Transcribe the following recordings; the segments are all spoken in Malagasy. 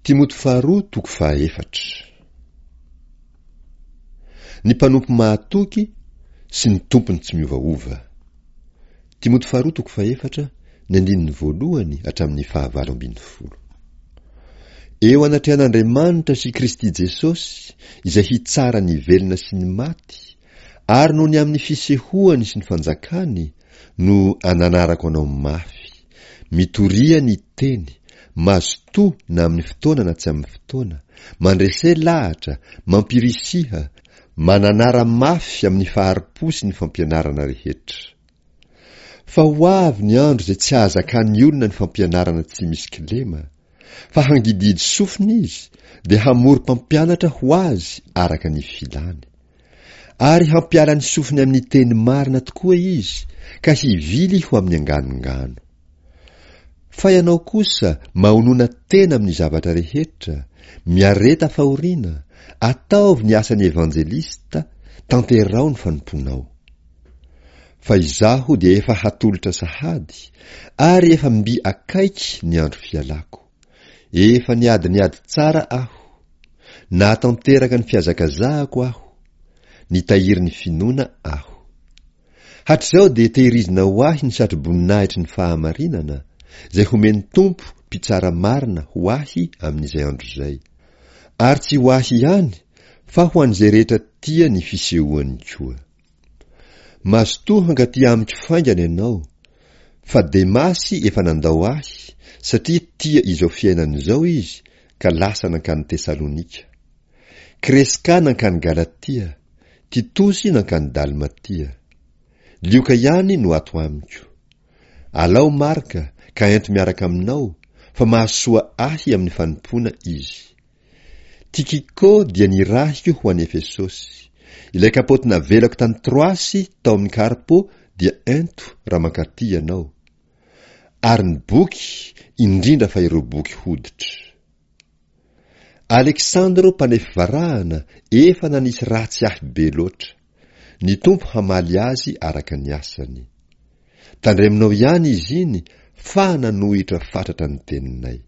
Timoty faharoa toko fahaefatra. Ny mpanompo mahatoky sy ny tompony tsy miovaova. Timoty faharoa toko fahefatra, ny andininy voalohany hatramin'ny fahavalo ambin'ny folo. Eo anatrehan'Andriamanitra sy Kristy Jesosy, izay hitsara ny velona sy ny maty, ary noho ny amin'ny fisehoany sy ny fanjakany, no ananarako anao mafy. Mitoria ny teny, mazotoa na amin'ny fotoana na tsy amin'ny fotoana, mandrese lahatra, mampirisiha, mananara mafy amin'ny fahari-po sy ny fampianarana rehetra. Fa ho avy ny andro izay tsy hahazakan'ny olona ny fampianarana tsy misy kilema, fa hangidihidy sofina izy, dia hamory mpampianatra ho azy araka ny filany. Ary hampiala ny sofiny amin'ny teny marina tokoa izy, ka hivily ho amin'ny anganongano. Fa ianao kosa mahonona tena amin'ny zavatra rehetra, miareta fahoriana, ataovy ny asan'ny evanjelista, tanteraho ny fanompoanao. Fa izaho dia efa hatolotra sahady, ary efa mby akaiky ny andro fialako. Efa niady ny ady tsara aho. Nahatanteraka ny fihazakazahako aho. Nitahiry ny finoana aho. Hatrizao dia tehirizina ho ahy ny satroboninahitry ny fahamarinana, izay homen'ny Tompo mpitsara marina ho ahy amin'izay andro izay. Ary tsy ho ahy ihany, fa ho an'izay rehetra tia ny fisehoany koa. Mazotoa hankaty amiko faingana ianao, fa Demasy efa nandao ahy, satria tia izao fiainana izao izy ka lasa nankany Tesalonika. Kreska nankany Galatia, Titosy nankany Dalmatia. Lioka ihany no ato amiko. Alao Marka ka ento miaraka aminao, fa mahasoa ahy amin'ny fanompoana izy. Tikiko dia nirahiko ho any Efesosy. Ilay kapaoty navelako tany Troasy tao amin'i Karpo dia ento raha mankaty ianao. Ary ny boky, indrindra fa ireo boky hoditra. Aleksandro mpanefy varahana efa nanisy ratsy ahy be loatra. Ny Tompo hamaly azy araka ny asany. Tandremonao ihany izy iny fa nanohitra fatratra ny teninay.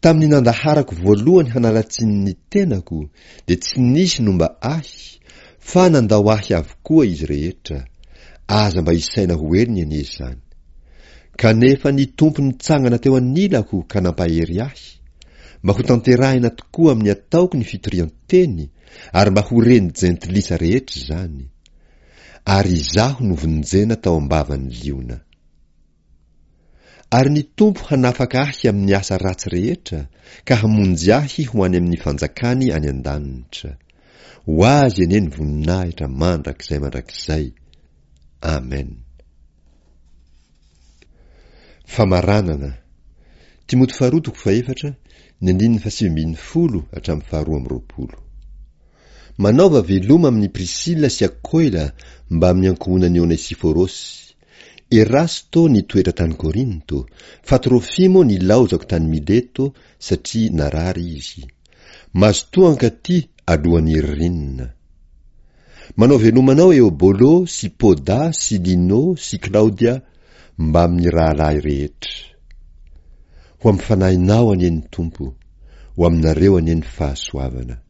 Tamin'ny nandaharako voalohany hanala tsiny ny tenako dia tsy nisy nomba ahy fa nandao ahy avokoa izy rehetra, aza mba isaina ho helony anie izany. Kanefa ny Tompo nitsangana teo anilako ka nampahery ahy, mba ho tanterahina tokoa amin'ny ataoko ny fitorian-teny ary mba ho ren'ny jentilisa rehetra izany. Ary izaho novonjena tao am-bavan'ny liona. Ary ny Tompo hanafaka ahy amin'ny asa ratsy rehetra ka hamonjy ahy ho any amin'ny fanjakany any an-danitra. Ho Azy anie ny voninahitra mandrakizay mandrakizay. Amen. Famaranana. Timoty faharoa toko fahefatra, ny andininy fahasivy ambin'ny folo hatramin'ny faharoa amby roapolo. Manaova veloma amin'i Prisila sy Akoila mbamin'ny ankohonan'i Onesiforosy. Erasto nitoetra tany Korinto, fa Trofimo nilaozako tany Mileto satria narary izy. Mazotoa hankaty alohan'ny ririnina. Manao veloma anao Eobolo sy Poda sy Lino sy Klaodia mbamin'ny rahalahy rehetra. Ho amin'ny fanahinao anie ny Tompo, ho aminareo anie ny fahasoavana.